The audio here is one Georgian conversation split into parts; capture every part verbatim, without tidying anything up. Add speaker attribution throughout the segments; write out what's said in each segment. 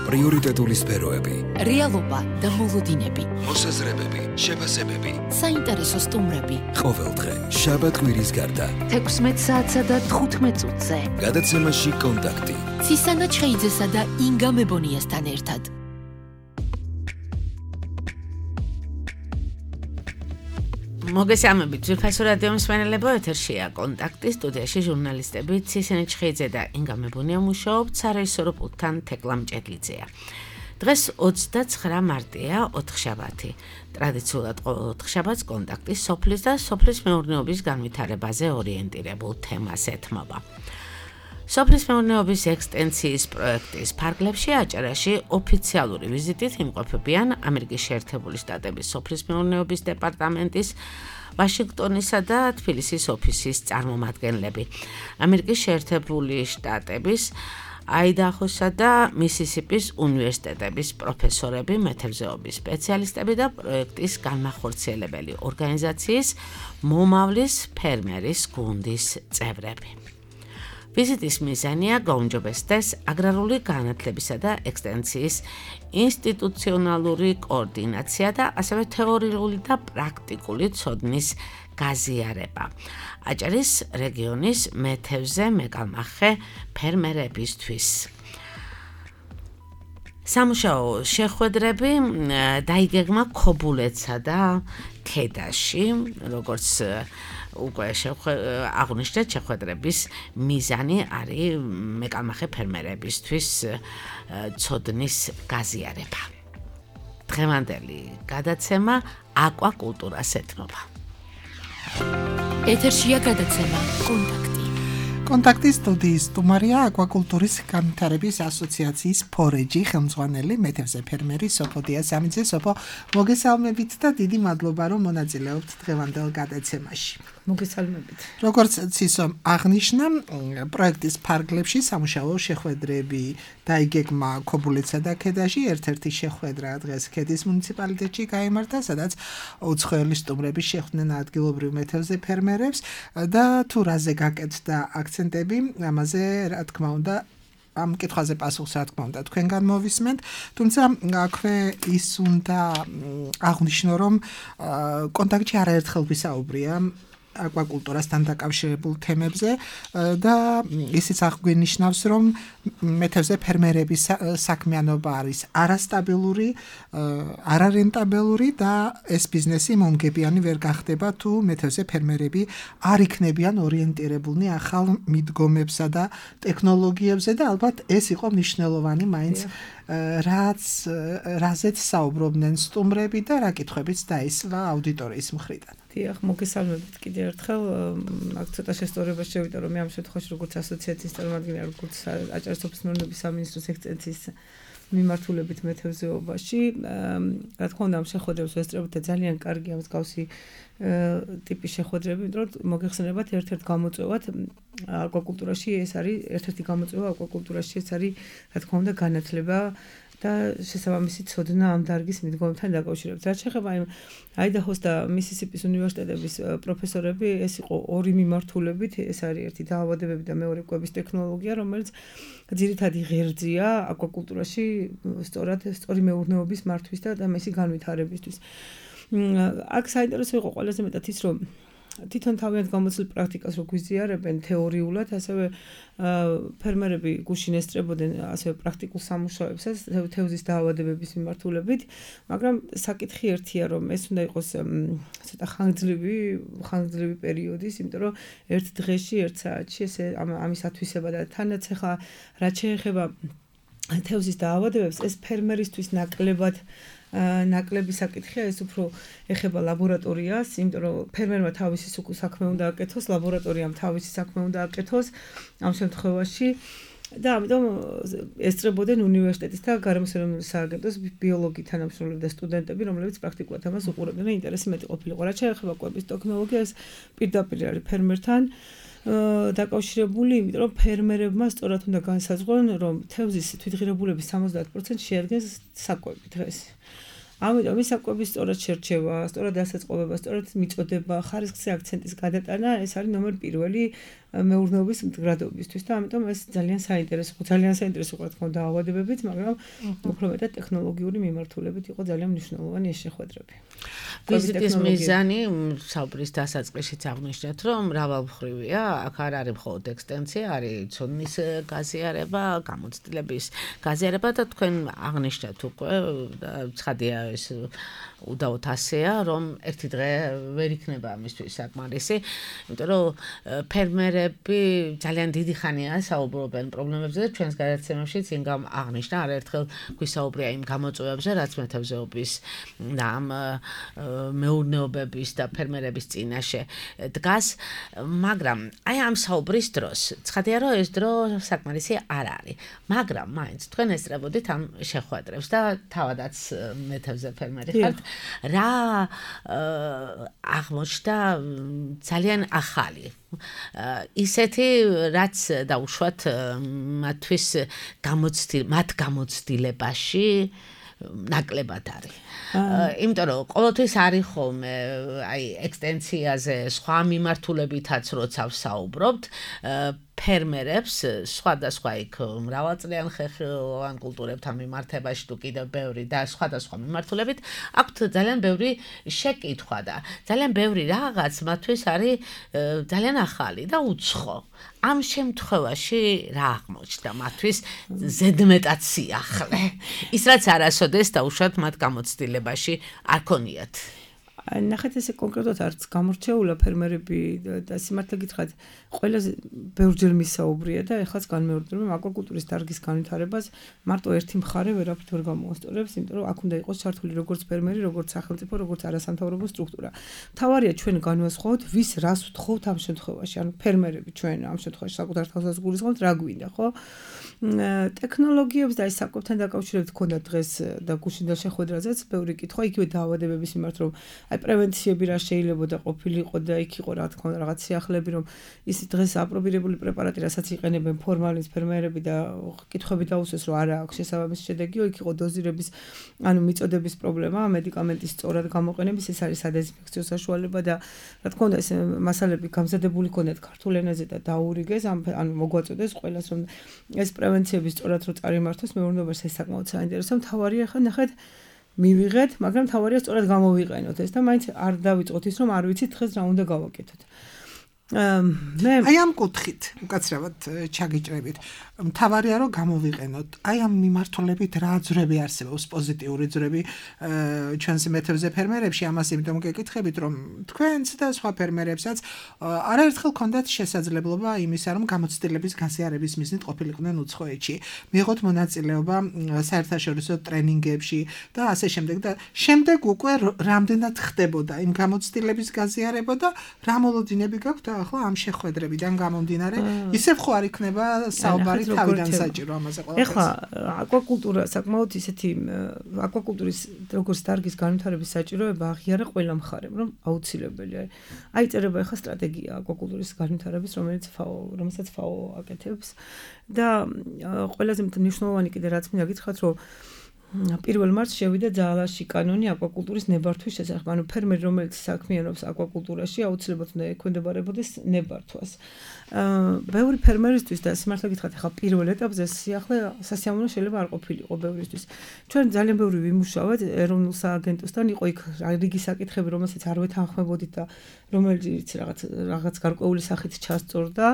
Speaker 1: პრიორიტეტული სფეროები,
Speaker 2: რეალობა და მოლოდინები,
Speaker 1: მოსაზრებები, შეფასებები,
Speaker 2: საინტერესო სტუმრები.
Speaker 1: ყოველდღე შაბათ-კვირის გარდა
Speaker 2: თექვსმეტ საათსა და თხუთმეტ წუთზე.
Speaker 1: გადაცემაში კონტაქტი.
Speaker 2: ცისანა ჩხეიძესა და ინგა მებონიასთან ერთად.
Speaker 3: მოგესალმებით, ძვირფასო რადიო მსმენელებო, ეთერშია კონტაქტი, სტუდიაში ჟურნალისტები ცისანა ჩხეიძე და ინგა მებონია მუშაობთ, სარეჟისორო პულტთან თეკლა მჭედლიძეა. დღეს ოცდაცხრა მარტია, ოთხშაბათი. ტრადიციულად ყოველ ოთხშაბათს კონტაქტი სოფლის და სოფლის მეურნეობის განვითარებაზე ორიენტირებულ თემას ეთმობა. სოფლის მეურნეობის ექსტენსიის პროექტის ფარგლებში აჭარაში ოფიციალური ვიზიტით იმყოფებიან ამერიკის შეერთებული შტატების სოფლის მეურნეობის დეპარტამენტის ვაშინგტონისა და თბილისის ოფისის წარმომადგენლები. ამერიკის შეერთებული შტატების აიდაჰოსა და მისისიპის უნივერსიტეტების პროფესორები, მეთევზეობის სპეციალისტები და პროექტის განმახორციელებელი ორგანიზაციის მომავლის ფერმერის გუნდის წევრები. ვიზიტის მიზანია გაუმჯობესდეს აგრარული განათლებისა და ექსტენსიის ინსტიტუციონალური კოორდინაცია და ასევე თეორიული და პრაქტიკული ცოდნის გაზიარება. აჭარის რეგიონის მეთევზე მეკალმახე ფერმერებისთვის. სამუშაო შეხვედრები დაიგეგმა ქობულეთსა და ქედაში, როგორც უკვე აღნიშნეთ, შეხვედრების მიზანი არის მეკალმახე ფერმერებისთვის ცოდნის გაზიარება. დღევანდელი გადაცემა აკვაკულტურას ეთმობა.
Speaker 2: ეთერშია გადაცემა კონტაქტი.
Speaker 4: კონტაქტის სტუდიის სტუმარია აკვაკულტურის განვითარების ასოციაციის ფორეჯი ხელმძღვანელი მეთევზე ფერმერი სოფო დიასამიძე. სოფო, მოგესალმებით და დიდი მადლობა, რომ მონაწილეობთ დღევანდელ გადაცემაში.
Speaker 5: მოგესალმებით.
Speaker 4: როგორც ცისომ აღნიშნა, პროექტის ფარგლებში სამუშაო შეხვედრები დაიგეგმა ქობულეთსა და ქედაში. ერთ-ერთი შეხვედრა დღეს ქედის მუნიციპალიტეტში გაიმართა, სადაც უცხოელი სტუმრები შეხვდნენ ადგილობრივ მეთევზე ფერმერებს და თუ რაზე გაკეთდა აქცენტები, ამაზე რა თქმა უნდა ამ კითხვაზე პასუხს რა თქმა უნდა თქვენგან მოვისმენთ, თუმცა აქვე ის უნდა აღნიშნო, რომ კონტაქტში არაერთხელ ვისაუბრია აკვაკულტურასთან დაკავშირებულ თემებზე და ისიც აღგვინიშნავს, რომ მეთევზე ფერმერების საქმიანობა არის არასტაბილური, არარენტაბელური და ეს ბიზნესი მომგებიანი ვერ გახდება, თუ მეთევზე ფერმერები არ იქნებიან ორიენტირებულნი ახალ მიდგომებსა და ტექნოლოგიებზე და ალბათ ეს იყო მნიშვნელოვანი მაინც რაც რაზეც საუბრობდნენ სტუმრები და რა კითხვებიც დაისვა აუდიტორიის მხრიდან.
Speaker 5: დიახ, მოგესალმებით კიდევ ერთხელ. აქ ცოტა შესწორება შევიდა, რომ მე ამ შემთხვევაში როგორც ასოციაციის წარმომადგენელი, როგორც აჭარის სოფლის მეურნეობის სამინისტროს ექსტენსიის მიმართულებით მეთევზეობაში, რა თქმა უნდა, ამ შეხვედრებს ვესწრებთ და ძალიან კარგი ამ მსგავსი ტიპის შეხვედრები, იმიტომ რომ მოგეხსენებათ ერთ-ერთ გამოწვევად აკვაკულტურაში ეს არის ერთ-ერთი გამოწვევა აკვაკულტურაში ეს არის, რა თქმა უნდა, განათლება და შესაბამისი ცოდნა ამ დარგის მიდგომებთან დაკავშირებით. რაც შეეხება იმ აიდაჰოს და მისისიპის უნივერსიტეტების პროფესორები, ეს იყო ორი მიმართულებით, ეს არის ერთი დაავადებები და მეორე კვების ტექნოლოგია, რომელიც ძირითადი ღერძია აკვაკულტურაში, სწორად სწორი მეურნეობის მართვის და მისი განვითარებისთვის. აქ საინტერესო იყო ყველაზე მეტად ის, რომ თვითონ თავიანთ გამოცდილ პრაქტიკას რო გვიზიარებენ თეორიულად, ასევე ფერმერები გუშინ ესწრებოდნენ ასევე პრაქტიკულ სამუშაოებსაც თევზის დაავადებების მიმართულებით, მაგრამ საკითხი ერთია, რომ ეს უნდა იყოს ცოტა ხანგრძლივი, ხანგრძლივი პერიოდის, იმიტომ რომ ერთ დღეში, ერთ საათში ეს ამის ათვისება და თანაც ახლა რაც შეეხება თევზის დაავადებებს, ეს ფერმერისთვის ნაკლებად ნაკლები საკითხია, ეს უფრო ეხება ლაბორატორიას, იმიტომ რომ ფერმერმა თავისი საქმე უნდა აკეთოს, ლაბორატორიამ თავისი საქმე უნდა აკეთოს ამ შემთხვევაში და ამიტომ ესწრებოდნენ უნივერსიტეტის და გარემოსეროვნული სააგენტოს ბიოლოგი თანამშრომლები და სტუდენტები, რომლებიც პრაქტიკულად ამას უყურებდნენ, ინტერესი მეტი ყოფილიყო. რაც შეეხება კვების ტექნოლოგიას, პირდაპირ არის ფერმერთან დაკავშირებული, იმიტომ რომ ფერმერებმა სწორად უნდა განსაზღვრონ, რომ თევზის თვითღირებულების სამოცდაათ პროცენტს შეადგენს საკვები დღეს. ამიტომ ის საკვების სწორად შერჩევა, სწორად დასაწყობება, სწორად მიწოდება, ხარისხზე აქცენტის გადატანა, ეს არის ნომერ პირველი მეურნეობის მდგრადობისთვის და ამიტომ ეს ძალიან საინტერესო, ძალიან საინტერესო რა თქმა უნდა დაავადებებით, მაგრამ უფრო მეტად ტექნოლოგიური მიმართულებით იყო ძალიან მნიშვნელოვანი ეს შეხვედრები.
Speaker 3: ვიზიტის მიზანი საუბრის დასაწყისშიც აღნიშნეთ, რომ მრავალმხრივია, აქ არ არის მხოლოდ ექსტენსია, არის ცოდნის გაზიარება, გამოცდილების გაზიარება და თქვენ აღნიშნეთ უკვე და ცხადია ეს უდაოდ ასეა, რომ ერთი დღე ვერ იქნება ამისთვის საკმარისი, იმიტომ რომ ფერმერები ძალიან დიდი ხანია საუბრობენ პრობლემებზე და ჩვენს გადაცემებშიც ინგამ აღნიშნა არაერთხელ გვისაუბრია იმ გამოწვევებზე, რაც მეთევზეობის და ამ მეურნეობების და ფერმერების წინაშე დგას, მაგრამ აი ამ საუბრის დროს ცხადია რომ ეს დრო საკმარისი არ არის, მაგრამ მაინც თქვენ ესწრებოდით ამ შეხვედრებს და თავადაც მეთევზე ფერმერი ხართ, რა აღმოჩნდა ძალიან ახალი ისეთი რაც დაუშვათ მათთვის გამოცდილ მათ გამოცდილებაში ნაკლებად არის. იმიტომ რომ ყოველთვის არის ხოლმე აი ექსტენსიაზე სხვა მიმართულებითაც როცა ვსაუბრობთ ფერმერებს სხვადასხვა იქ მრავალწლიან ხეხილოვან კულტურებთან მიმართებაში თუ კიდევ ბევრი და სხვადასხვა მიმართულებით აქვთ ძალიან ბევრი შეკითხვა და ძალიან ბევრი რაღაც მათთვის არის ძალიან ახალი და უცხო. ამ შემთხვევაში რა აღმოჩნდა მათთვის ზედმეტად სიახლე? ის რაც არასოდეს დაუშვათ მათ გამოცდილებაში არ ქონიათ.
Speaker 5: ნახეთ ესე კონკრეტულად არც გამორჩეულა ფერმერები და სიმართლე გითხრათ ყველაზე ბევრჯერ მისაუბრია და ეხლაც განმეორდება აკვაკულტურის დარგის განვითარებას მარტო ერთი მხარე ვერაფრით ვერ გამოასწორებს, იმიტომ რომ აქ უნდა იყოს ჩართული როგორც ფერმერი, როგორც სახელმწიფო, როგორც არასამთავრობო სტრუქტურა. მთავარია ჩვენ განვასხვაოთ, ვის რას ვთხოვთ ამ შემთხვევაში, ანუ ფერმერები ჩვენ ამ შემთხვევაში საკუთარ თავსაც გულისხმობთ, რა გვინდა, ხო? ტექნოლოგიებს და ეს საკვებთან დაკავშირებით ქონდა დღეს და გუშინდელ შეხვედრაზეც ბევრი კითხვა, იგივე დაავადებების მიმართ, რომ აი პრევენციები რა შეიძლება და ყოფილიყო და იქ იყო რა თქმა უნდა რაღაც სიახლეები, რომ ის დღეს აპრობირებული პრეპარატი, რასაც იყენებენ ფორმალის ფერმერები და კითხვები დაუსვეს, რომ არა აქვს შესაბამისი შედეგი, იქ იყო დოზირების, ანუ მიწოდების პრობლემა, მედიკამენტის სწორად გამოყენების, ეს არის სადეზინფექციო საშუალება და რა თქმა უნდა ეს მასალები გამზადებული ქონდათ ქართულ ენაზე და დაურიგეს, ანუ მოგვაწოდეს ყველას, რომ ეს პრევენციები სწორად რო წარიმართოს მეურნეობაში, ეს საკმაოდ საინტერესო. მთავარია ხა ნახეთ მივიღეთ, მაგრამ თავარია სწორად გამოვიყენოთ ეს და მაინც არ დავიწყოთ ის, რომ არ ვიცით დღეს რა უნდა გავაკეთოთ. მე
Speaker 4: აი ამ კუთხით უკაცრავად ჩაგიჭრებით. მთავარია რომ გამოვიყენოთ. აი ამ მიმართულებით რა ძრები არსებობს, პოზიტიური ძრები ჩვენს მეთევზე ფერმერებში, ამას იმიტომ გეკითხებით, რომ თქვენც და სხვა ფერმერებსაც არაერთხელ ქონდათ შესაძლებლობა იმისა, რომ გამოცდილების გაზიარების მიზნით ყოფილიყვნენ უცხოეთში. მიიღოთ მონაწილეობა საერთაშორისო ტრენინგებში და ასე შემდეგ და შემდეგ უკვე რამდენად ხდებოდა იმ გამოცდილების გაზიარება და რა მოლოდინები გაქვთ ახლა ამ შეხვედრებიდან გამომდინარე, ისევ ხო არ იქნება საუბარი თავიდან საჭირო ამაზე ყველაფერს.
Speaker 5: ეხლა აკვაკულტურა საკმაოდ ისეთი აკვაკულტურის როგორც დარგის განვითარების საჭიროება აღიარა ყველა მხარემ, რომ აუცილებელია. აი წერება ეხლა სტრატეგია აკვაკულტურის განვითარების, რომელიც ფაო, რომელსაც ფაო აკეთებს და ყველაზე მნიშვნელოვანი კიდე რაც მინდა გითხრათ, რომ პირველ მარტს შევიდა ძალაში კანონი აკვაკულტურის ნებართვის შესახებ. ანუ ფერმერი, რომელიც საქმიანობს აკვაკულტურაში, აუცილებლად უნდა ექვემდებარებოდეს ნებართვას. ბევრი ფერმერისთვის და სიმართლე გითხრათ, ახლა პირველ ეტაპზე სიახლე სასიამოვნო შეიძლება არ ყოფილიყო ბევრისთვის. ჩვენ ძალიან ბევრი ვიმუშავეთ ეროვნულ სააგენტოსთან, იყო იქ რიგი საკითხები, რომელსაც არ ვეთანხმებოდით და რომელიც რაღაც რაღაც გარკვეული სახით ჩასწორდა.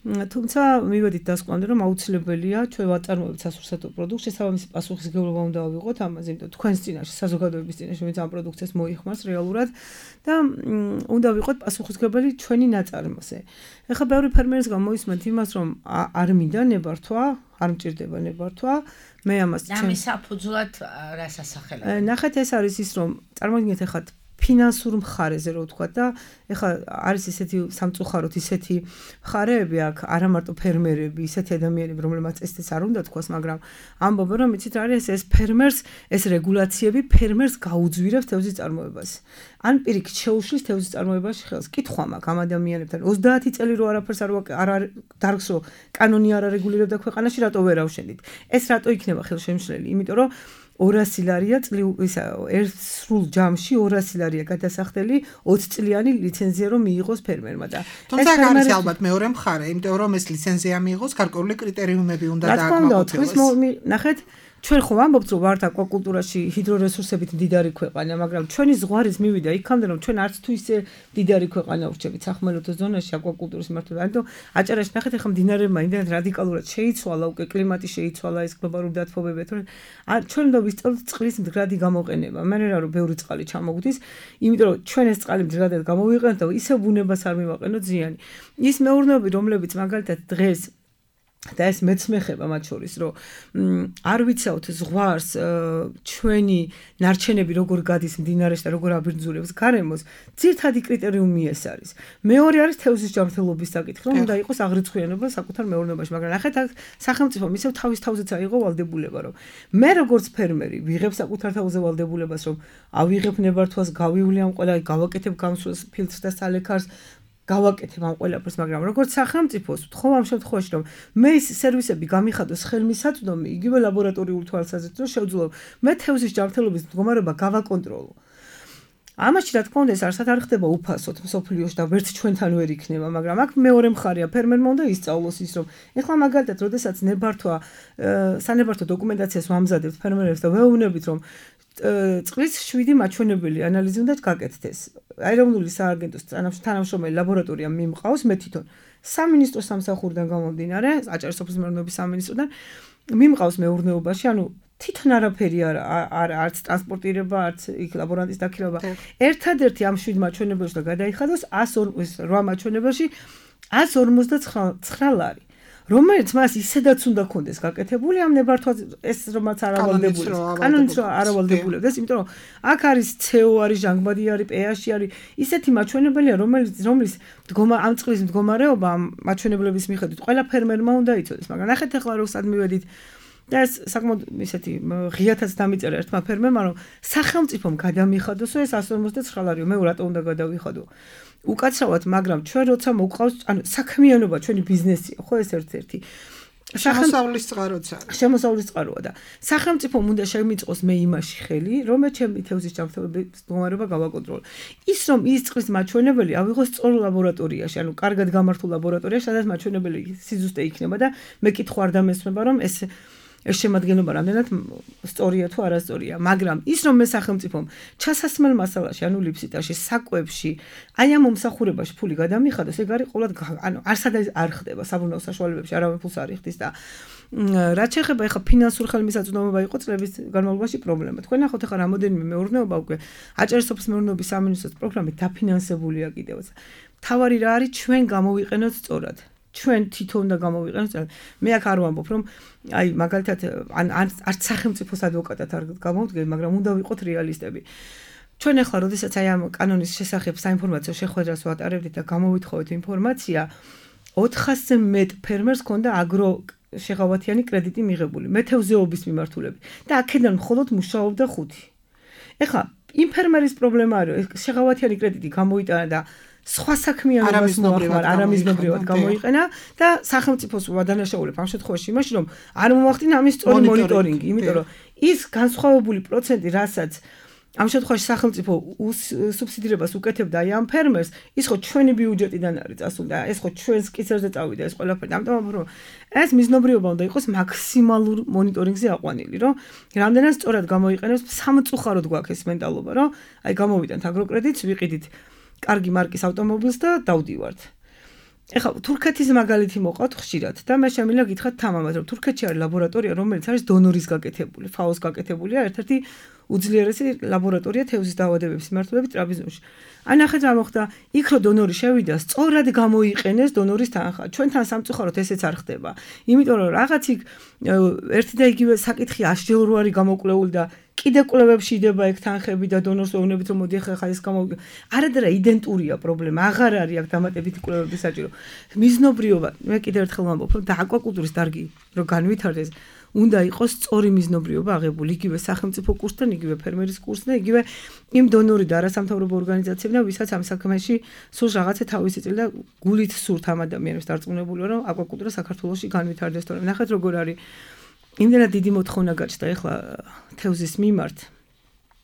Speaker 5: თუმცა მივედით დასკვნამდე, რომ აუცილებელია ჩვენ ვაწარმოებთ სასურსათო პროდუქტს, შესაბამისი პასუხისმგებლობა უნდა ავიღოთ ამაზე, იმიტომ თქვენს წინაშე, საზოგადოების წინაშე, ვინც ამ პროდუქციას მოიხმარს რეალურად და უნდა ვიყოთ პასუხისმგებელი ჩვენი ნაწარმოზე. ეხლა ბევრი ფერმერის გამოისმენთ იმას, რომ არ მინდა ნებართვა, არ მჭირდება ნებართვა, მე ამას
Speaker 3: ჩემ ამის საფუძვლად რას ასახელებთ?
Speaker 5: ნახეთ, ეს არის ის, რომ წარმოგიდგენთ ეხლა ფინანსურ მხარეზე რო ვთქვა და ეხლა არის ესეთი სამწუხაროდ ისეთი მხარეები აქ არა მარტო ფერმერები, ისეთი ადამიანები, რომლებმაც ესეც არ უნდა თქვას, მაგრამ ამბობენ რომ იცით რა არის ეს ფერმერს, ეს რეგულაციები ფერმერს გაუძვირებს თევზის წარმოებას. ან პირიქით შეუშლის თევზის წარმოებაში ხელს. კითხვა მაქვს ამ ადამიანებთან, ოცდაათი წელი რო არაფერს არ არ დარგს რო კანონი არ არეგულირებდა ქვეყანაში, რატო ვერ ავშენდით? ეს რატო იქნება ხელშემშლელი? იმიტომ რომ ორასი ლარია წლი ისა ერთ სრულ ჯამში ორასი ლარია გადასახდელი ოცი წლიანი ლიცენზია რომ მიიღოს ფერმერმა და
Speaker 4: თუმცა არის ალბათ მეორე მხარე, იმიტომ რომ ეს ლიცენზია მიიღოს გარკვეული კრიტერიუმები უნდა დააკმაყოფილოს.
Speaker 5: ნახეთ ჩვენ ხო ვამბობთ რომ ვართ აკვაკულტურაში ჰიდრორესურსებით მდიდარი ქვეყანა, მაგრამ ჩვენი ზღვარიც მივიდა იქამდე რომ ჩვენ არც თუ ისე მდიდარი ქვეყანა ვრჩებით სახმელეთო ზონაში აკვაკულტურის მართვა. ანუ აჭარაში ნახეთ ახლა მდინარეებმა იმდენად რადიკალურად შეიცვალა, უკვე კლიმატი შეიცვალა, ეს გლობალური დათბობები, თორემ ჩვენ უნდა ვისწავლოთ წყლის მდგრადი გამოყენება. მე რა რომ ბევრი წყალი ჩამოგვდის, იმიტომ რომ ჩვენ ეს წყალი მდგრადად გამოვიყენოთ და ისე ბუნებას არ მივაყენოთ ზიანი. ის მეურნეობები, რომლებიც მაგალითად დღეს და ეს მეც მეხება მათ შორის რომ არ ვიცავთ ზღვარს ჩვენი ნარჩენები როგორ გადის მდინარეში და როგორ აბინძურებს გარემოს ძირთადი კრიტერიუმი ეს არის მეორე არის თევზის ჯანმრთელობის საკითხი რომ უნდა იყოს აღრიცხვიანობა საკუთარ მეურნეობაში მაგრამ ნახეთ სახელმწიფო ისევ თავის თავზეც აიღო ვალდებულება რომ მე როგორც ფერმერი ვიღებ საკუთარ თავზე ვალდებულებას რომ ავიღებ ნებართვას გავივლი ამ ყველა გავაკეთებ გამსვლას ფილტრს და სალექარს გავაკეთებ ამ ყველაფერს, მაგრამ როგორც სახელმწიფოს ვთხოვ ამ შემთხვევაში, რომ მე ის სერვისები გამიხადოს ხელმისაწვდომი, იგივე ლაბორატორიული თვალსაზრისით, რომ შევძლო მე თევზის ჯანმრთელობის მდგომარეობა გავაკონტროლო. ამაში რა თქმა უნდა ეს არსად არ ხდება უფასოდ მსოფლიოში და ვერც ჩვენთან ვერ იქნება, მაგრამ აქ მეორე მხარეა ფერმერმა უნდა ისწავლოს ის, რომ ეხლა მაგალითად, როდესაც ნებართვა სანებართვო დოკუმენტაციას ვამზადებთ ფერმერებს და ვეუბნებით, რომ წყლის შვიდი მაჩვენებელი ანალიზი უნდა გაკეთდეს. აეროვნული სააგენტოს თანამშრომელი ლაბორატორია მიმყავს მე თვითონ სამინისტროს სამსახურიდან გამომდინარე, აჭარის სოფლის მეურნეობის სამინისტროდან მიმყავს მეურნეობაში, ანუ თვითონ არაფერი არ არც ტრანსპორტირება, არც იქ ლაბორანტის დაქირავება. ერთადერთი ამ შვიდ მაჩვენებელში და გადაიხადოს εκατს რვა მაჩვენებელში εκατს ორმოცდაცხრა ლარი. რომელიც მას ისედაც უნდა კონდეს გაკეთებული ამ ნებართვას ეს რომაც არავალდებული კანონით რომ არავალდებულებდეს იმიტომ რომ აქ არის ცეო არის ჟანგბადი არის პეაში არის ისეთი მაჩვენებელია რომელიც რომლის მდგომა ამ წყლის მდგომარეობა ამ მაჩვენებლების მიხედვით ყველა ფერმერმა უნდა იცოდეს მაგრამ ნახეთ ახლა რომ სად მივედით და ეს საკმაოდ ისეთი ღიათაც დამიწერა ერთმა ფერმერმა რომ სახელმწიფომ გადამიხადოსო ეს εκατს ორმოცდაცხრა ლარიო მე რატო უნდა გადავიხადო უკაცრავად, მაგრამ ჩვენ როცა მოვყავს, ანუ საქმიანობა ჩვენი ბიზნესია, ხო ეს ერთ-ერთი.
Speaker 4: შემოსავლის წყაროც არის.
Speaker 5: შემოსავლის წყაროა და სახელმწიფომ უნდა შემიწყოს მე იმაში ხელი, რომ მე ჩემი თევზის ჯანმრთელობის მდგომარეობა გავაკონტროლო. ის რომ ის წყლის მაჩვენებელი ავიღოს სწორ ლაბორატორიაში, ანუ კარგად გამართულ ლაბორატორიაში, სადაც მაჩვენებელი სიზუსტე იქნება და მე კითხვა არ დამესმება, რომ ეს ეს შემადგენლობა რამდენად სწორია თუ არასწორია, მაგრამ ის რომ მე სახელმწიფომ ჩასასმელ მასალაში, ანუ ლიფსიტაში, საკვებში, აი ამ მომსახურებაში ფული გადამიხადოს, ეგ არის ყოველად ანუ არსად არ ხდება საბრუნავ საშუალებებში, არავინ ფულს არ იხდის და რაც შეეხება ეხა ფინანსურ ხელმისაწვდომობა იყო წლების განმავლობაში პრობლემა. თქვენ ნახოთ ეხა რამოდენიმე მეურნეობა უკვე აჭარის სოფლის მეურნეობის სამინისტროს პროგრამით დაფინანსებულია კიდევაც. თავარი რა არის ჩვენ გამოვიყენოთ სწორად. ჩვენ თვითონ და გამოვიყენოთ. მე აქ არ ვამბობ, რომ აი მაგალითად ან არც სახელმწიფოს ადვოკატად არ გამოვდგენ, მაგრამ უნდა ვიყოთ რეალისტები. ჩვენ ახლა როდესაც აი ამ კანონის შესახებ საინფორმაციო შეხვედრას ვატარებდით და გამოვითხოვეთ ინფორმაცია, ოთხასზე მეტ ფერმერს ჰქონდა აგრო შეღავათიანი კრედიტი მიღებული, მეთევზეობის მიმართულებით და აქედან მხოლოდ მუშაობდა ხუთი. ეხლა იმ ფერმერის პრობლემა არის, შეღავათიანი კრედიტი გამოიტანა და სხვა საქმიანობას მოახმარ არამიზნობრივად გამოიყენა და სახელმწიფოს ვადანაშაულებ ამ შემთხვევაში იმაში რომ არ მომახდინა ამის სწორი მონიტორინგი, იმიტომ რომ ის განსხვავებული პროცენტი, რასაც ამ შემთხვევაში სახელმწიფო სუბსიდირებას უკეთებდა აი ამ ფერმერს, ის ხო ჩვენი ბიუჯეტიდან არის წასული და ეს ხო ჩვენს კისერზე წავიდა ეს ყველაფერი. ამიტომ რომ ეს მიზნობრიობა უნდა იყოს მაქსიმალურ მონიტორინგზე აყვანილი, რომ რამდენად სწორად გამოიყენოს სამწუხაროდ გვაქვს ეს მენტალობა, რომ აი გამოვიდანთ აგროკრედიტს, ვიყიდით კარგი მარკის ავტომობილს და დავდივართ. ეხლა თურქეთის მაგალითი მოყავთ ხშირად და მე შემიძლია გითხრათ თამამად, რომ თურქეთში არის ლაბორატორია, რომელიც არის დონორის გაკეთებული, ფაოს გაკეთებულია, ერთ-ერთი უძლიერესი ლაბორატორია თევზის დაავადებების მიმართულებით ტრაპიზონში. აი ნახეთ რა მოხდა, იქ რო დონორი შევიდა, სწორად გამოიყენეს დონორის თანხა. ჩვენთან სამწუხაროდ ესეც არ ხდება. იმიტომ რომ რაღაც იქ ერთი და იგივე საკითხი აშჯელ რო არის გამოკვლეული და კიდე კვლევებში იდება ეგ თანხები და დონორს ვეუბნებით რომ მოდი ახლა ეს გამოვიგე. არადრა იდენტურია პრობლემა, აღარ არის აქ დამატებითი კვლევების საჭირო. მიზნობრიობა, მე კიდე ერთხელ ვამბობ, რომ და აკვაკულტურის დარგი რო განვითარდეს, უნდა იყოს სწორი მიზნობრიობა აღებული, იგივე სახელმწიფო კურსთან, იგივე ფერმერის კურსთან, იგივე იმ დონორი და არასამთავრობო ორგანიზაციებთან, ვისაც ამ საქმეში სულს რაღაცა თავისი წილი და გულით სურთ ამ ადამიანებს დარწმუნებული, რომ აკვაკულტურა საქართველოში განვითარდეს. თორემ ნახეთ როგორ არის იმდენად დიდი მოთხოვნა გაჩნდა ეხლა თევზის მიმართ.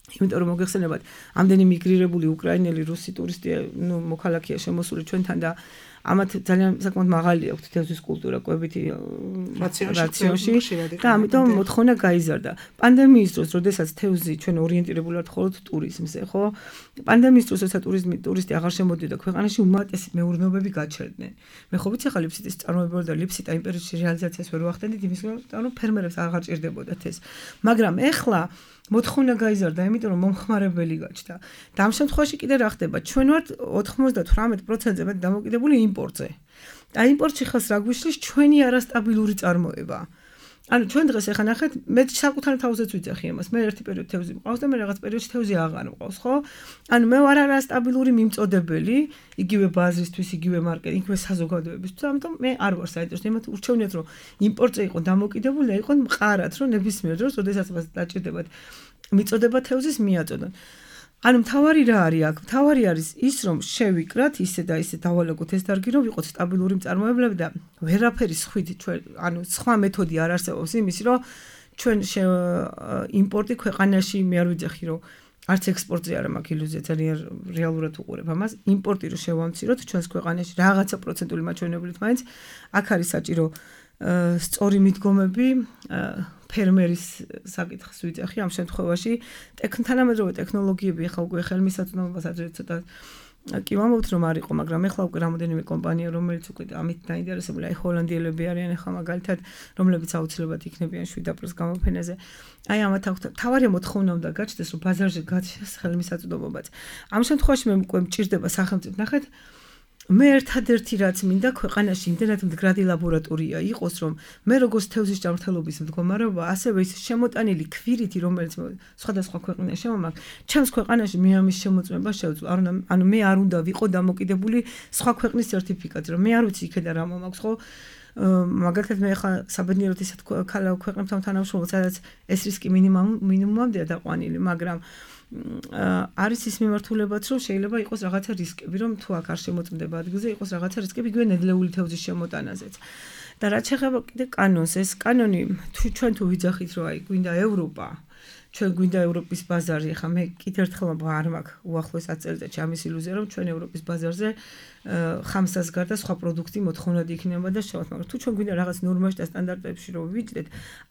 Speaker 5: იმიტომ რომ მოგეხსენებათ, ამდენი მიგრირებული უკრაინელი, რუსი ტურისტი, ნუ მოქალაქეა შემოსული ჩვენთან და ამათ ძალიან საკმაოდ მაღალი აქვთ თევზის კულტურა კვებითი რაციონში და ამიტომ მოთხოვნა გაიზარდა. პანდემიის დროს, როდესაც თევზი ჩვენ ორიენტირებული ვართ მხოლოდ ტურიზმზე, ხო? პანდემიის დროს, როცა ტურიზმი ტურისტი აღარ შემოდიოდა ქვეყანაში, უმეტესი მეურნეობები გაჩერდნენ. მე ხო ვიცი ხა ლიფსიტის წარმოება და ლიფსიტა იმ პერიოდში რეალიზაციას ვერ ვახდენდით, იმის გამო ფერმერებს აღარ ჭირდებოდათ ეს. მაგრამ ეხლა მოთხოვნა გაიზარდა, იმიტომ რომ მომხმარებელი გაჩნდა. და ამ შემთხვევაში კიდე რა ხდება? ჩვენ ვართ ოცდაოთხ პროცენტზე მეტ დამოკიდებული იმპორტზე. და იმპორტში ხას რა გვიშლის ჩვენი არასტაბილური წარმოება. ანუ ჩვენ დღეს ახლა ნახეთ, მე საკუთარ თავზეც ვიცახი ამას. მე ერთი პერიოდი თევზი მყავს და მე რაღაც პერიოდში თევზი აღარ მყავს, ხო? ანუ მე ვარ არასტაბილური მიმწოდებელი, იგივე ბაზრისთვის, იგივე მარკეტინგ, იგივე საზოგადოებისთვის. ამიტომ მე არ ვარ საინტერესო. იმათ ურჩევნიათ, რომ იმპორტზე იყო დამოკიდებული და იყო მყარად, რომ ნებისმიერ დროს, როდესაც მას დაჭირდებათ მიწოდება თევზის მიაწოდონ. ანუ მთავარი რა არის აქ? მთავარი არის ის, რომ შევიკრათ ისე და ისე დავალაგოთ ეს დარგი, რომ ვიყოთ სტაბილური მწარმოებლები და ვერაფერი სხვით ჩვენ, ანუ სხვა მეთოდი არ არსებობს იმის, რომ ჩვენ იმპორტი ქვეყანაში მე არ ვიძახი, რომ არც ექსპორტზე არ მაქვს ილუზია, ძალიან რეალურად უყურებ ამას. იმპორტი რო შევამციროთ ჩვენს ქვეყანაში რაღაცა პროცენტული მაჩვენებლით მაინც აქ არის საჭირო სწორი მიდგომები ფერმერის საკითხს ვიძახი ამ შემთხვევაში თანამედროვე ტექნოლოგიები ახლა უკვე ხელმისაწვდომობას ადრე ცოტა კი ვამბობთ რომ არ იყო, მაგრამ ახლა უკვე რამოდენიმე კომპანია რომელიც უკვე ამით დაინტერესებული, აი ჰოლანდიელები არიან ახლა მაგალითად, რომლებიც აუცილებლად იქნებიან შვიდ აპრილს გამოფენაზე. აი ამათ აქვს თავარი მოთხოვნა უნდა გაჩნდეს, რომ ბაზარზე გაჩნდეს ხელმისაწვდომობაც. ამ შემთხვევაში მე უკვე მჭირდება სახელმწიფო, ნახეთ, მე ერთადერთი რაც მინდა ქვეყანაში იმდენად მდგრადი ლაბორატორია იყოს, რომ მე როგორც თევზის ჯანმრთელობის მდგომარეობა, ასევე ის შემოტანილი ქვირითი, რომელიც სხვადასხვა ქვეყანაში შემომაქვს, ჩემს ქვეყანაში მე ამის შემოწმება შევძლო. ანუ მე არ უნდა ვიყო დამოკიდებული სხვა ქვეყნის სერტიფიკატზე, რომ მე არ ვიცი იქიდან რა მომაქვს, ხო? მაგალითად მე ხა საბედნიეროდ ისეთ ქვეყნებთან თანამშრომლობ, სადაც ეს რისკი მინიმუმამდეა დაყვანილი, მაგრამ არის ის მიმართულებაც, რომ შეიძლება იყოს რაღაცა რისკები, რომ თუ აქ არ შემოწმდება ადგილზე, იყოს რაღაცა რისკები იგივე ნედლეული თევზის შემოტანაზეც. და რაც შეეხება კიდე კანონს, ეს კანონი თუ ჩვენ თუ ვიძახით, რომ აი გვინდა ევროპა, ჩვენ გვინდა ევროპის ბაზარი, ხა მე კიდევ ერთხელ არ მაქვს უახლოეს ათ წელიწადში ამის ილუზია, რომ ჩვენ ევროპის ბაზარზე ხამსას გარდა სხვა პროდუქტი მოთხოვნად იქნება და შევათ, მაგრამ თუ ჩვენ გვინდა რაღაც ნორმაში და სტანდარტებში რომ ვიჯდეთ,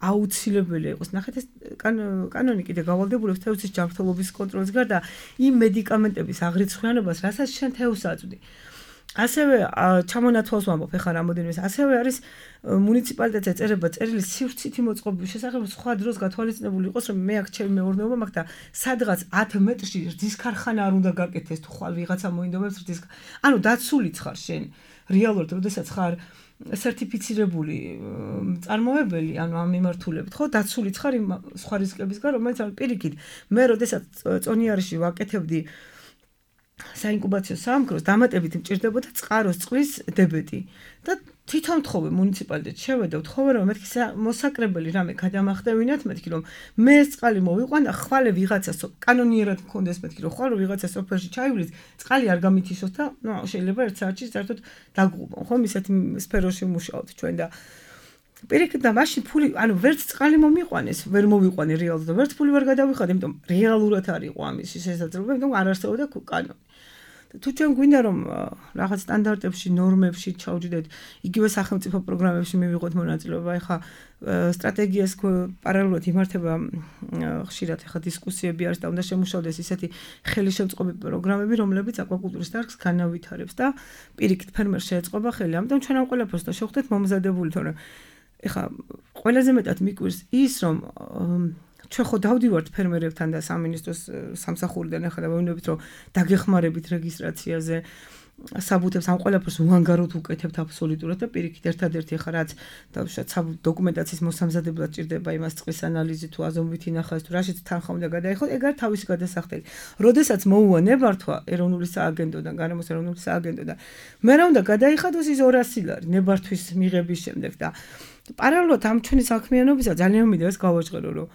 Speaker 5: აუცილებელია იყოს. ნახეთ ეს კანონი კიდე გავალდებულებს თევზის ჯანმრთელობის კონტროლის გარდა იმ მედიკამენტების აღრიცხვიანობას, რასაც შენ თევზს აწვდი. ასევე ჩამონათვალს ვამბობ ახლა რამოდენიმე, ასევე არის მუნიციპალიტეტზე წერება წერილი სივრცითი მოწყობების შესახებ, სხვა დროს გათვალისწინებული იყოს, რომ მე აქ ჩემი მეურნეობა მაქვს და სადღაც ათ მეტრში რძის ქარხანა არ უნდა გაკეთდეს, თუ ხვალ ვიღაცა მოინდომებს რძის. ანუ დაცულიც ხარ შენ რეალურად, როდესაც ხარ სერტიფიცირებული მწარმოებელი, ანუ ამ მიმართულებით, ხო, დაცულიც ხარ იმ სხვა რისკების გარდა, რომელიც არის პირიქით. მე როდესაც წონიარში ვაკეთებდი საინკუბაციო სამკროს, დამატებით მჭირდებოდა წყაროს წყლის დებეტი და თვითონ თხოვე მუნიციპალიტეტში შევედა, ვთხოვე რომ მეთქი მოსაკრებელი რამე გადამახდევინათ, მეთქი რომ მე ეს წყალი მოვიყვან და ხვალე ვიღაცას კანონიერად მქონდეს, მეთქი რომ ხვალე ვიღაცას სოფელში ჩაივლის, წყალი არ გამითიშოს და ნუ შეიძლება ერთ საათში საერთოდ დაგუყობ, ხო, ისეთი სფეროში მუშაობთ ჩვენ და პირიქით და მაშინ ფული, ანუ ვერც წყალი მომიყვანეს, ვერ მოვიყვანე რეალურად და ვერც ფული ვერ გადავიხადე, იმიტომ რეალურად არ იყო ამის შესაძლებლობა, იმიტომ არ არსებობდა კანონი. თუ ჩვენ გვინდა რომ რაღაც სტანდარტებში, ნორმებში ჩავჯდეთ, იგივე სახელმწიფო პროგრამებში მივიღოთ მონაწილეობა, ეხა სტრატეგიას პარალელურად იმართება ხშირად ეხა დისკუსიები არის და უნდა შემუშავდეს ისეთი ხელისშემწყობი პროგრამები, რომლებიც აკვაკულტურის დარგს განავითარებს და პირიქით ფერმერს შეეწყობა ხელი. ამიტომ ჩვენ ამ ყველაფერს და შევხვდეთ მომზადებული, თორემ ეხა ყველაზე მეტად მიკვირს ის, რომ ჩვენ ხო დავდივართ ფერმერებთან და სამინისტროს სამსახურიდან ახლა და ვეუბნებით, რომ დაგეხმარებით რეგისტრაციაზე, საბუთებს ამ ყველაფერს უანგაროდ უკეთებთ აბსოლუტურად და პირიქით ერთადერთი ახლა რაც დავუშვათ დოკუმენტაციის მოსამზადებლად ჭირდება იმას წყლის ანალიზი თუ აზომვითი ნახაზი თუ რაშიც თანხა უნდა გადაიხოთ, ეგ არის თავისი გადასახდელი. როდესაც მოუვა ნებართვა ეროვნული სააგენტოდან, გარემოს ეროვნული სააგენტოდან, მე რა უნდა გადაიხადოს ის ორასი ლარი ნებართვის მიღების შემდეგ და პარალელურად ამ ჩვენი საქმიანობისა ძალიან მინდა ეს გავაჟღერო, რომ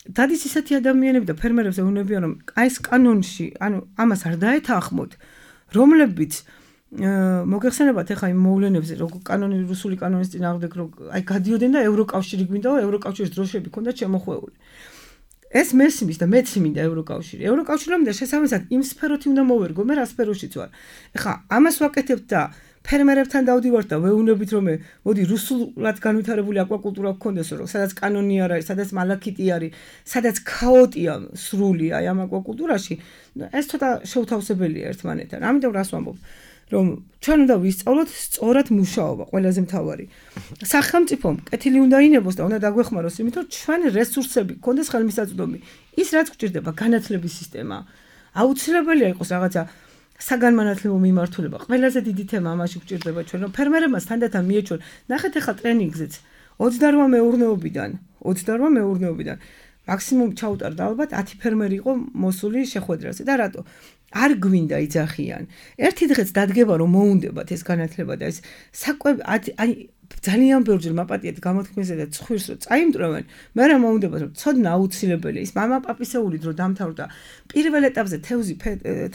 Speaker 5: დადის ისეთი ადამიანები და ფერმერებს ეუბნებიან, რომ აი ეს კანონში, ანუ ამას არ დაეთანხმოთ, რომლებიც მოგეხსენებათ ახლა იმ მოვლენებზე როგორ კანონი რუსული კანონის წინააღმდეგ რო აი გადიოდნენ და ევროკავშირი გვინდა ევროკავშირის დროშები ქონდა შემოხვეული ეს მესმის და მეც მინდა ევროკავშირი ევროკავშირი მინდა შესაბამისად იმ სფეროთი უნდა მოვერგო მე რა სფეროშიც ვარ ახლა ამას ვაკეთებ და ფერმერებთან დავდივართ და ვეუბნებით რომ მოდი რუსულად განვითარებული აკვაკულტურა გქონდეს რომ სადაც კანონი არ არის სადაც მალაქიტი არის სადაც ქაოტია სრული აი ამ აკვაკულტურაში ეს ცოტა შეუთავსებელია ერთმანეთთან ამიტომ რას ვამბობ რომ ჩვენ უნდა ვისწავლოთ სწორად მუშაობა ყველაზე მთავარი სახელმწიფომ კეთილი უნდა ინებოს და უნდა დაგვეხმაროს იმით რომ ჩვენ რესურსები გქონდეს ხელმისაწვდომი ის რაც გვჭირდება განათლების სისტემა აუცილებელია იყოს რაღაცა საგანმანათლებლო მიმართულება ყველაზე დიდი თემა ამაში გვჭირდება ჩვენ რომ ფერმერებმა თანდათან მიეჩვენ ნახეთ ახლა ტრენინგზეც ოცდარვა მეურნეობიდან ოცდარვა მეურნეობიდან მაქსიმუმ ჩაუტარდა ალბათ ათი ფერმერი იყო მოსული შეხვედრაზე და რატო არ გვინდა იძახიან ერთი დღეც დადგება რომ მოუნდებათ ეს განათლება და ეს საკვები აი ძალიან ბევრჯერ მაპატიეთ გამოთქმაზე და ცხვირს რომ წაიმტვრევენ მე რა მოუნდებათ რომ ცოდნა აუცილებელია ის მამა პაპისეული დრო დამთავრდა პირველ ეტაპზე თევზი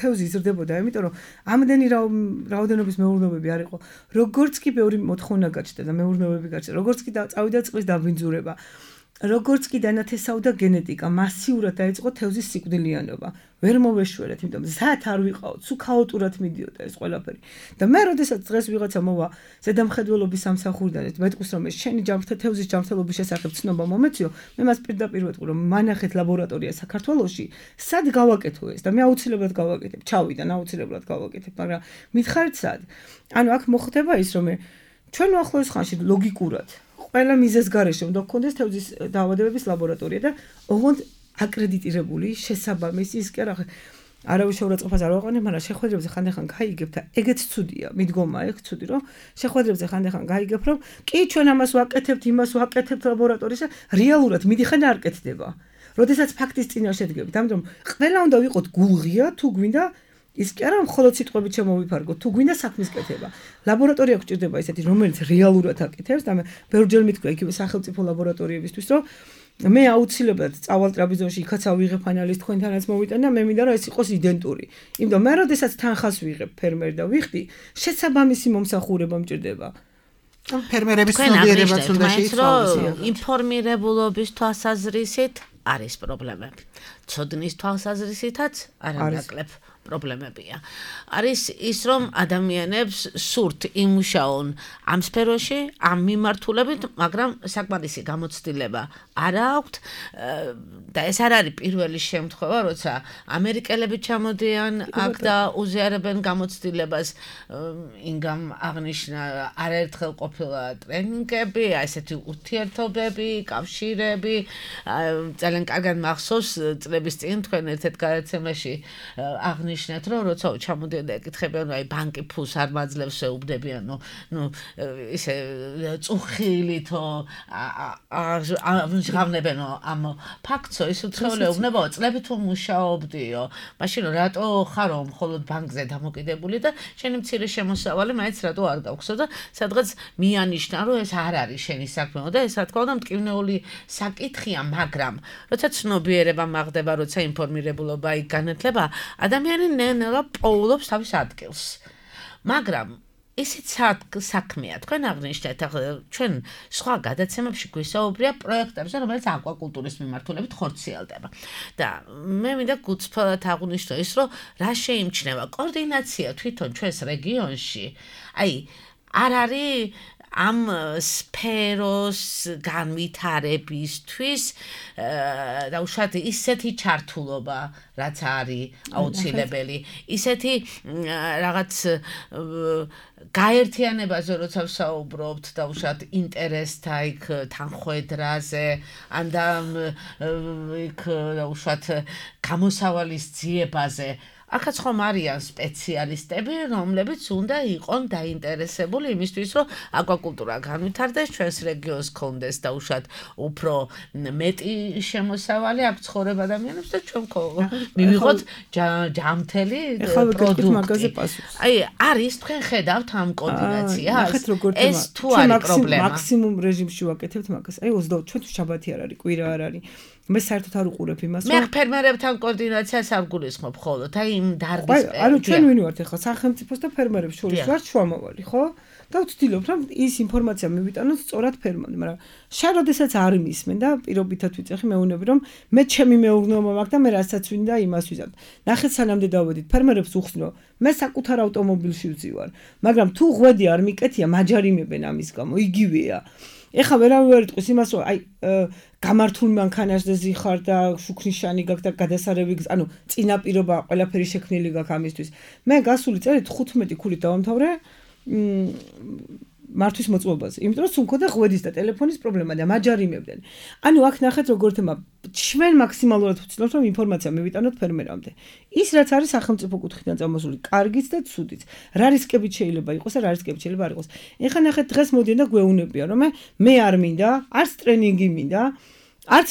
Speaker 5: თევზი იზრდებოდა იმიტომ რომ ამდენი რაოდენობის მეურნეობები არ იყო როგორც კი ბევრი მოთხოვნა გაჩნდა და მეურნეობები გაჩნდა როგორც კი წავიდა წყლის დაბინძურება როგორც კი დანათესავდა გენეტიკა მასიურად დაიწყო თევზის სიკვდილიანობა ვერ მოვეშველეთ იმიტომ ზათ არ ვიყავთ სულ ქაოტურად მიდიოდა ეს ყველაფერი და მე როდესაც დღეს ვიღაცა მოვა ზედამხედველობის სამსახურიდან მეტყვის რომ ეს შენი ჯანმრთელ თევზის ჯანმრთელობის შესახებ ცნობა მომეციო მე მას პირდაპირ ვეთქვი რომ მანახეთ ლაბორატორია საქართველოში სად გავაკეთო ეს და მე აუცილებლად გავაკეთებ ჩავიდან აუცილებლად გავაკეთებ მაგრამ მითხარით სად ანუ აქ მოხდება ის რომ ჩვენ უახლოეს ხანში ლოგიკურად ყველა მიზეს გარეშე უნდა გქონდეს თევზის დაავადებების ლაბორატორია და ოღონდ აკრედიტირებული შესაბამისი ის კი არა არავის შეურაცხყოფას არ ვაყენებ, მაგრამ შეხვედრებზე ხანდახან გაიგებ და ეგეც ცუდია, მიდგომა ეგ ცუდი რომ შეხვედრებზე ხანდახან გაიგებ რომ კი ჩვენ ამას ვაკეთებთ, იმას ვაკეთებთ ლაბორატორიაში, რეალურად მიდიხარ არ კეთდება. როდესაც ფაქტის წინაშე დგებით, ამიტომ ყველა უნდა ვიყოთ გულღია თუ გვინდა ის კი არა მხოლოდ სიტყვებით შემოვიფარგოთ, თუ გვინდა საქმის კეთება. ლაბორატორია გვჭირდება ისეთი, რომელიც რეალურად აკეთებს და მე ბევრჯერ მithქვია იგივე სახელმწიფო ლაბორატორიებისთვის, რომ მე აუცილებლად წავალ ტრაპიზონში, იქაც ავიღებ ანალიზს თქვენთანაც მოვიტან და მე მინდა რომ ეს იყოს იდენტური. იმიტომ მე როდესაც თანხას ვიღებ ფერმერ და ვიხდი, შესაბამისი მომსახურება მჭირდება.
Speaker 4: ფერმერების ცნობიერებაც უნდა შეიცვალოს.
Speaker 3: ინფორმირებულობის თვალსაზრისით არის პრობლემები. ცოდნის თვალსაზრისითაც არანაკლებ პრობლემებია. არის ის რომ ადამიანებს სურთ იმუშაონ ამ სფეროში, ამ მიმართულებით, მაგრამ საკმარისი გამოცდილება არ აქვთ და ეს არ არის პირველი შემთხვევა, როცა ამერიკელები ჩამოდიან აქ და უზიარებენ გამოცდილებას. ინგამ აღნიშნა არაერთხელ ყოფილა ტრენინგები, ესეთი ურთიერთობები, კავშირები, ძალიან კარგად მახსოვს წლების წინ თქვენ ერთ-ერთ გადაცემაში აღნიშნეთ, რომ როცა ჩამოდიან და ეკითხებიან, აი ბანკი ფულს არ მაძლევს, ეუბნებიან, ნუ ნუ ისე წუხილითო აღნიშნებენ ამ ფაქტსო, ის უცხოელი ეუბნებაო, წლებით თუ მუშაობდიო, მაშინ რატო ხარო მხოლოდ ბანკზე დამოკიდებული და შენი მცირე შემოსავალი მაინც რატო არ გაქვს და სადღაც მიანიშნა, რომ ეს არ არის შენი საქმეო და ეს რა თქმა უნდა მტკივნეული საკითხია, მაგრამ როცა ცნობიერება მაგდება, როცა ინფორმირებულობა იქ განათლება, ადამიანი ნელა პოულობს თავის ადგილს. მაგრამ ისიც საქმეა, თქვენ აღნიშნეთ, ჩვენ სხვა გადაცემებში გვისაუბრია პროექტებზე, რომელიც აკვაკულტურის მიმართულებით ხორციელდება. და მე მინდა გუცფალად აღვნიშნო ის, რომ რა შეიმჩნევა კოორდინაცია თვითონ ჩვენს რეგიონში. აი, არ არის ამ სფეროს განვითარებისთვის და უშუალოდ ისეთი ჩართულობა, რაც არის აუცილებელი, ისეთი რაღაც გაერთიანებაზე, როცა ვსაუბრობთ და უშუალოდ ინტერესთა იქ თანხმედრაზე, ან და იქ უშუალოდ გამოსავალის ძიებაზე. აქაც ხომ არიან სპეციალისტები, რომლებიც უნდა იყონ დაინტერესებული იმისთვის, რომ აკვაკულტურა განვითარდეს, ჩვენს რეგიონს გქონდეს და უშუალოდ უფრო მეტი შემოსავალი აქ ცხოვრებ ადამიანებს და ჩვენ მივიღოთ ჯამთელი პროდუქტი. აი, არის თქვენ ხედავთ ამ კოორდინაციას? ეს თუ არის პრობლემა.
Speaker 5: მაქსიმუმ რეჟიმში ვაკეთებთ მაგას. აი, ოცდაოთხ ჩვენ თუ შაბათი არ არის, კვირა არ არის. მე საერთოდ არ უყურებ იმას,
Speaker 3: რომ მე ფერმერებთან კოორდინაციას არ გულისხმობ ხოლმე, აი იმ დარგის.
Speaker 5: ანუ ჩვენ ვინ ვართ ახლა სახელმწიფოს და ფერმერებს შორის ვართ შუამავალი, ხო? და ვცდილობ რომ ის ინფორმაცია მივიტანოთ სწორად ფერმერამდე, მაგრამ შენ როდესაც არ მისმენ და პირობითად ვიწეხი მეუბნები რომ მე ჩემი მეურნეობა მაქვს და მე რასაც ვინდა იმას ვიზავ. ნახეთ სანამდე დავედით ფერმერებს უხსნო, მე საკუთარ ავტომობილში ვზივარ, მაგრამ თუ ღვედი არ მიკეთია, მაჯარიმებენ ამის გამო, იგივეა. ეხლა ვერავინ ვერ იტყვის იმას რომ აი გამართულ მანქანაზე ზიხარ და შუქნიშანი გაქვს და გადასარევი ანუ წინაპირობა ყველაფერი შექმნილი გაქვს ამისთვის. მე გასული წელი თხუთმეტი ქულით დავამთავრე მართვის მოწყობაზე. იმიტომ რომ სულ მქონდა ღვედის და ტელეფონის პრობლემა და მაჯარიმებდნენ. ანუ აქ ნახეთ როგორ თემა ჩვენ მაქსიმალურად ვცდილობთ რომ ინფორმაცია მივიტანოთ ფერმერამდე. ის რაც არის სახელმწიფო კუთხიდან წამოსული, კარგიც და ცუდიც. რა რისკებით შეიძლება იყოს და რა რისკებით შეიძლება არ იყოს. ეხლა ნახეთ დღეს მოდიან და გვეუბნებიან რომ მე არ მინდა, არც ტრენინგი მინდა, არც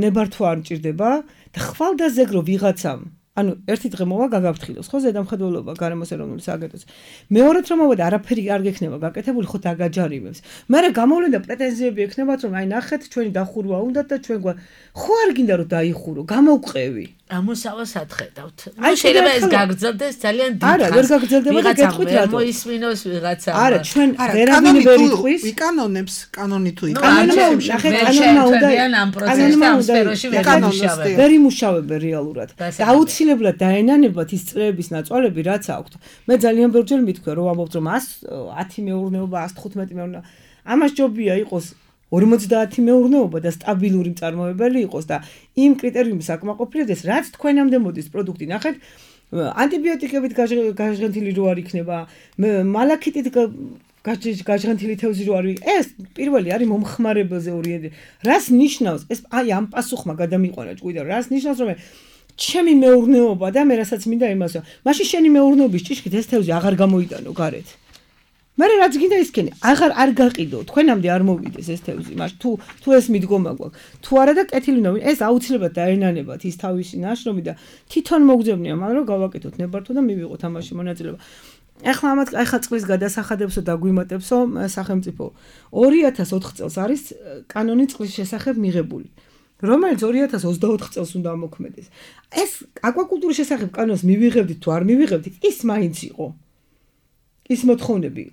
Speaker 5: ნებართვა არ მჭირდება და ხვალ და ზეგრო ვიღაცამ ანუ ერთი დღე მოვა გაგაფრთხილოს ხო ზედამხედველობა გარემოს ეროვნული სააგენტოს მეორედ რომ მოვა და არაფერი არ გექნება გაკეთებული ხო დაგაჯარიმებს მაგრამ გამოვლენდა პრეტენზიები ექნებათ რომ აი ნახეთ ჩვენი დახურვა უნდა და ჩვენ ხო არ გინდა რომ დაიხურო გამოვყევი
Speaker 3: ამოსავას atხედავთ ნუ შეიძლება ეს გაგრძელდეს ძალიან დიდ
Speaker 5: არა ვერ გაგრძელდება და გეტყვით რატო
Speaker 3: მოისმინოს ვიღაცა
Speaker 5: არა ჩვენ ვერავინ ვერ იტყვის
Speaker 4: ვიკანონებს კანონი თუ
Speaker 5: იკანონებს ნახეთ კანონმა უნდა
Speaker 3: ამ პროცესში ამ სფეროში ვიკანონებს
Speaker 5: ვერ იმუშავებენ რეალურად და აუცილებლად დაენანებათ ის წრეების ნაწვალები რაც აქვთ მე ძალიან ბევრჯერ მithქვია რომ ამბობთ რომ ათი მეურნეობა ათს თხუთმეტი მეურნეობა ამას ჯობია იყოს ორმოცდაათი მეურნეობა და სტაბილური მწარმოებელი იყოს და იმ კრიტერიუმის აკმაყოფილდეს რაც თქვენამდე მოდის პროდუქტი ნახეთ ანტიბიოტიკებით გაჟღენთილი რო არ იქნება მალაქიტით გაჟღენთილი თევზი რო არ ეს პირველი არის მომხმარებელზე ორიენტირებული რას ნიშნავს ეს აი ამ პასუხმა გადამიყვანა ჭკვიდა რას ნიშნავს რომ ჩემი მეურნეობა და მე რასაც მინდა იმასო მაშინ შენი მეურნეობის ჭიშკით ეს თევზი აღარ გამოიტანო გარეთ მაგრამ რაც გინდა ისქენი აღარ არ გაყიდო თქვენამდე არ მოვიდეს ეს თევზი მაშინ თუ თუ ეს მიდგომა გვაქვს თუ არა და კეთილი უნდა ეს აუცილებლად დაენანებათ ის თავისი ნაშრომი და თვითონ მოგძებნია მაგრამ რომ გავაკეთოთ ნებართვა და მივიღოთ ამაში მონაწილეობა ეხლა ამათ ეხლა წყლის გადასახადებსო და გვიმატებსო სახელმწიფო ორი ათას ოთხ წელს არის კანონი წყლის შესახებ მიღებული რომელიც ორი ათას ოცდაოთხ წელს უნდა ამოქმედეს ეს აკვაკულტურის შესახებ კანონს მივიღებდით თუ არ მივიღებდით ის მაინც იყო ის მოთხოვნები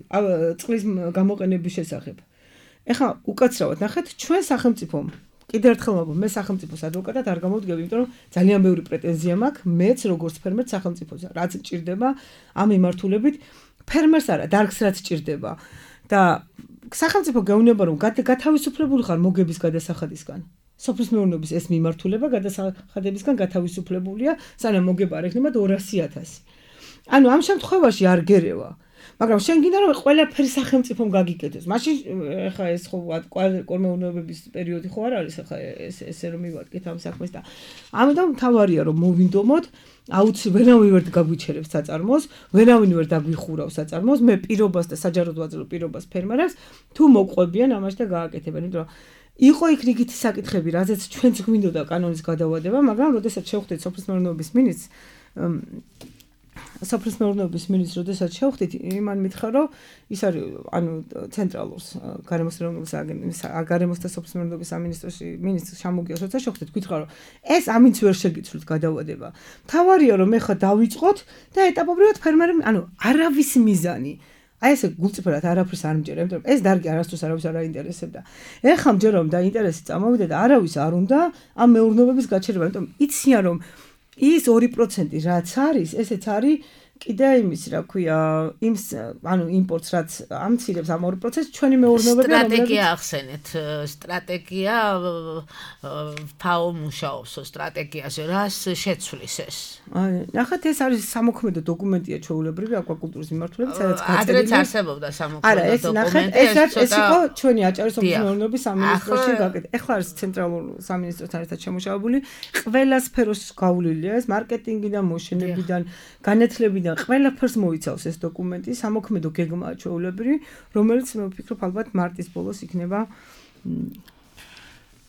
Speaker 5: წყლის გამოყენების შესახებ. ეხლა უკაცრავად ნახეთ ჩვენ სახელმწიფომ კიდევ ერთხელ ვამბობ მე სახელმწიფოს ადვოკატად არ გამოვდგები, იმიტომ რომ ძალიან ბევრი პრეტენზია მაქვს მეც როგორც ფერმერს სახელმწიფოზე. რაც ჭირდება ამ მიმართულებით ფერმერს არა, დარგს რაც ჭირდება და სახელმწიფო გეუბნება რომ გათავისუფლებული ხარ მოგების გადასახადისგან. სოფლის მეურნეობის ეს მიმართულება გადასახადებისგან გათავისუფლებულია, სანამ მოგება არ ექნება ორასი ათასი. ანუ ამ შემთხვევაში არ გერევა მაგრამ შენ გინდა რომ ყველაფერი სახელმწიფომ გაგიკეთოს. მაშინ ეხა ეს ხო კორმეურნეობების პერიოდი ხო არ არის ეხა ეს ესე რომ მივადგეთ ამ საქმეს და ამიტომ თავარია რომ მოვინდომოთ აუცილებლად ვერავინ ვერ გაგვიჩერებს საწარმოს, ვერავინ ვერ დაგვიხურავს საწარმოს, მე პირობას და საჯაროდ ვაძლევ პირობას ფერმერებს თუ მოყვებიან ამაში და გააკეთებენ, იმიტომ რომ იყო იქ რიგითი საკითხები, რაზეც ჩვენც გვინდოდა კანონის გადავადება, მაგრამ როდესაც შევხვდით სოფლის მეურნეობის მინისტრს სოფლის მეურნეობის მინისტრს როდესაც შევხვდით, იმან მითხრა, რომ ის არის ანუ ცენტრალურს გარემოს ეროვნული სააგენტოს გარემოს და სოფლის მეურნეობის სამინისტროში მინისტრს შემოგიოს, როცა შევხვდით, გითხრა, რომ ეს ამით ვერ შეგიცვლით გადავადება. თავარია რომ ეხა დავიწყოთ და ეტაპობრივად ფერმერები, ანუ არავის მიზანი აი ესე გულწრფელად არაფერს არ მჯერა, იმიტომ რომ ეს დარგი არასდროს არავის არ აინტერესებდა. ეხლა მჯერა რომ და ინტერესი წამოვიდა და არავის არ უნდა ამ მეურნეობების გაჩერება, იმიტომ იციან რომ ის ორი პროცენტი რაც არის, ესეც არის კიდე იმის, რა ქვია, იმ ანუ იმპორტს რაც ამცირებს ამ ორი პროცენტს ჩვენი მეურნეობები
Speaker 3: სტრატეგია ახსენეთ, სტრატეგია ფაო მუშაობს სტრატეგიაზე, რას შეცვლის ეს?
Speaker 5: აი, ნახეთ ეს არის სამოქმედო დოკუმენტია ჩვეულებრივი აკვაკულტურის მიმართულებით, სადაც გაწერილია.
Speaker 3: ადრეც არსებობდა სამოქმედო
Speaker 5: არა, ეს ნახეთ, ეს ეს იყო ჩვენი აჭარის სოფლის მეურნეობის სამინისტროში გაკეთებული. ეხლა არის ცენტრალურ სამინისტროსთან ერთად შემუშავებული, ყველა სფეროს გავლილია ეს მარკეტინგიდან, მოშენებიდან, განათლებიდან ყველაფერს მოიცავს ეს დოკუმენტი, სამოქმედო გეგმაა ჩვეულებრივი, რომელიც მე ვფიქრობ ალბათ მარტის ბოლოს იქნება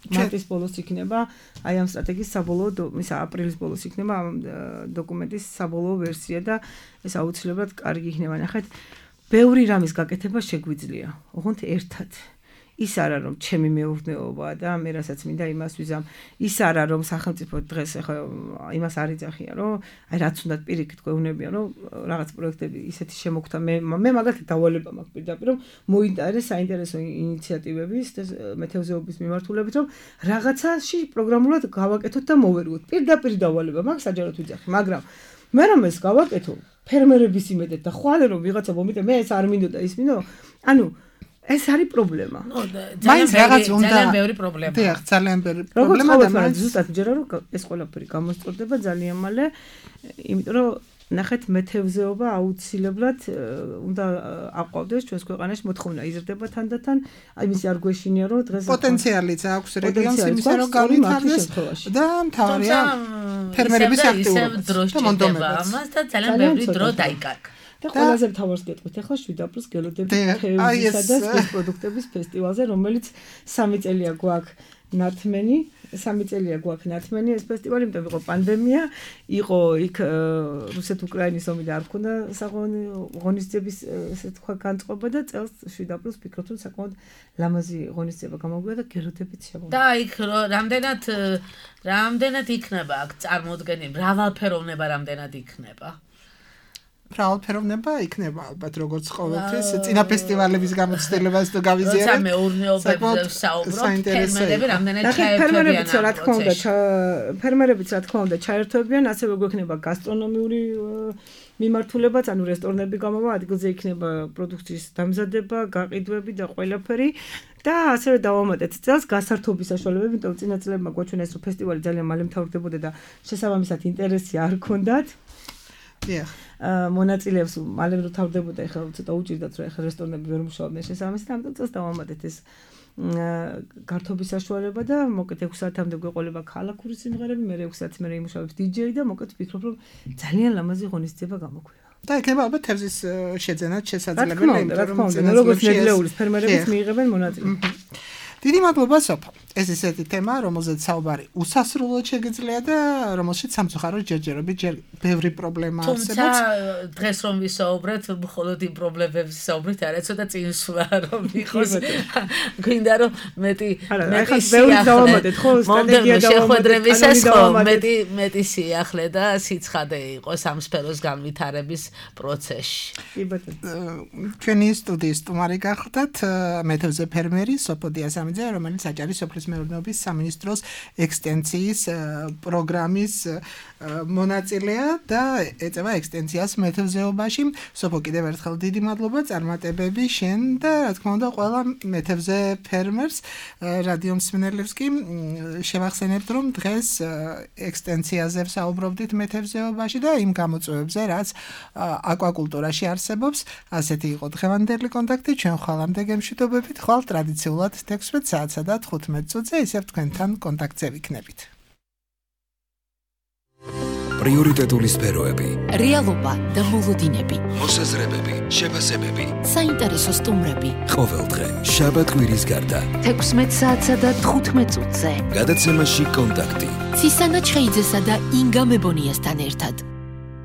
Speaker 5: მარტის ბოლოს იქნება აი ამ სტრატეგიის საბოლოო ისა აპრილის ბოლოს იქნება ამ დოკუმენტის საბოლოო ვერსია და ეს აუცილებლად კარგი იქნება. ნახეთ, ბევრი რამის გაკეთება შეგვიძლია, ოღონდ ერთად. ის არა რომ ჩემი მეურნეობაა და მე რასაც მინდა იმას ვიზამ. ის არა რომ სახელმწიფო დღეს ახლა იმას არ იძახია რომ აი რაც უნდა პირიქით გვეუბნებიან რომ რაღაც პროექტები ისეთი შემოგთა მე მე მაგალითად დავალება მაქვს პირდაპირ რომ მოინტერესა საინტერესო ინიციატივების და მეთევზეობის მიმართულებით რომ რაღაცაში პროგრამულად გავაკეთოთ და მოვერგოთ. პირდაპირ დავალება მაქვს საჯაროდ ვიძახი, მაგრამ მე რომ ეს გავაკეთო ფერმერების იმედეთ და ხვალე რომ ვიღაცა მომიტე მე ეს არ მინდოდა ის მინდო ანუ ეს არის პრობლემა.
Speaker 3: მაინც რაღაც უნდა ძალიან ბევრი პრობლემა.
Speaker 4: დიახ, ძალიან ბევრი
Speaker 5: პრობლემა და მაინც ზუსტად ჯერა რომ ეს ყველაფერი გამოსწორდება ძალიან მალე, იმიტომ რომ ნახეთ მეთევზეობა აუცილებლად უნდა აყვავდეს ჩვენს ქვეყანაში მოთხოვნა იზრდება თანდათან, აი მისი არ გვეშინია რომ დღეს
Speaker 4: პოტენციალიც აქვს რეგიონს იმისა რომ განვითარდეს და მთავარია ფერმერების აქტიურობა
Speaker 3: და მონდომება ამას და ძალიან ბევრი დრო დაიკარგა.
Speaker 5: და ყველაზე მთავარს გეტყვით ახლა შვიდ აპრილს გელოდებით თევზისა და სპეც პროდუქტების ფესტივალზე, რომელიც სამი წელია გვაქვს ნათმენი, სამი წელია გვაქვს ნათმენი ეს ფესტივალი, იმიტომ იყო პანდემია, იყო იქ რუსეთ-უკრაინის ომი და არ ქონდა ღონისძიების ესე თქვა განწყობა და წელს შვიდ აპრილს ვფიქრობ რომ საკმაოდ ლამაზი ღონისძიება გამოგვია და გელოდებით შემოვიდა.
Speaker 3: და იქ რამდენად რამდენად იქნება აქ წარმოდგენილი მრავალფეროვნება რამდენად იქნება?
Speaker 4: მრავალფეროვნება იქნება ალბათ როგორც ყოველთვის წინა ფესტივალების გამოცდილებას თუ გავიზიარებთ.
Speaker 3: როცა მეურნეობებზე ვსაუბრობთ, ფერმერები რამდენად
Speaker 5: ჩაერთვებიან. რა თქმა უნდა, ფერმერებიც რა თქმა უნდა ჩაერთვებიან, ასევე გვექნება გასტრონომიური მიმართულებაც, ანუ რესტორნები გამოვა, ადგილზე იქნება პროდუქციის დამზადება, გაყიდვები და ყველაფერი. და ასევე დავამატეთ წელს გასართობის საშუალებები, იმიტომ რომ წინა წლებმა გვაჩვენეს რომ ფესტივალი ძალიან მალე მთავრდებოდა და შესაბამისად ინტერესი არ ჰქონდათ.
Speaker 4: დიახ.
Speaker 5: მონაწილეებს მალე რომ თავდებოდა, ეხლა ცოტა უჭირდათ რომ ეხლა რესტორნები ვერ მუშაობდნენ შესაბამისად, ამიტომ წელს დავამატეთ ეს გართობის საშუალება და მოკეთ ექვსი საათამდე გვეყოლება ქალაქური სიმღერები, მე ექვსი საათი მერე იმუშავებს დიჯეი და მოკეთ ვფიქრობ რომ ძალიან ლამაზი ღონისძიება გამოგვია. და
Speaker 4: იქნება ალბათ თევზის შეძენაც შესაძლებელი,
Speaker 5: იმიტომ რომ როგორც ნედლეულის ფერმერებიც მიიღებენ მონაწილეობას.
Speaker 4: დიდი მადლობა სოფო. ეს ისეთი თემაა, რომელზეც საუბარი უსასრულოდ შეგიძლია და რომელშიც სამწუხაროდ ჯერჯერობით ჯერ ბევრი პრობლემა არსებობს.
Speaker 3: თუმცა დღეს რომ ვისაუბრეთ, მხოლოდ იმ პრობლემებს ვისაუბრეთ, არა ცოტა წინსვლა რომ იყოს. გვინდა რომ მეტი მეტი
Speaker 5: დავამატეთ ხო სტრატეგია
Speaker 3: შეხვედრებისას ხო მეტი მეტი სიახლე და სიცხადე იყოს ამ სფეროს განვითარების პროცესში.
Speaker 5: კი ბატონო.
Speaker 4: ჩვენი სტუდიის სტუმარი გახლდათ მეთევზე ფერმერი სოფო დიასამიძე, რომელიც აჭარის სოფლის მეურნეობის სამინისტროს ექსტენციის პროგრამის მონაწილეა და ეწევა ექსტენციას მეთევზეობაში. სოფო, კიდევ ერთხელ დიდი მადლობა წარმატებები შენ და რა თქმა უნდა ყველა მეთევზე ფერმერს. რადიო მსმენელებს კი შევახსენებთ, რომ დღეს ექსტენციაზე ვსაუბრობდით მეთევზეობაში და იმ გამოწვევებზე, რაც აკვაკულტურაში არსებობს. ასეთი იყო დღევანდელი კონტაქტი. ჩვენ ხვალამდე გემშვიდობებით, ხვალ ტრადიციულად თექვსმეტ საათსა და თხუთმეტ წუთზე ისევ თქვენთან კონტაქტზე ვიქნებით.
Speaker 1: პრიორიტეტული სფეროები,
Speaker 2: რეალობა და მოლოდინები,
Speaker 1: მოსაზრებები, შეფასებები,
Speaker 2: საინტერესო სტუმრები.
Speaker 1: ყოველდღე შაბათ-კვირის გარდა
Speaker 2: თექვსმეტ საათსა და თხუთმეტ წუთზე
Speaker 1: გადაცემაში კონტაქტი.
Speaker 2: ცისანა ჩხეიძესა და ინგა მებონიასთან ერთად.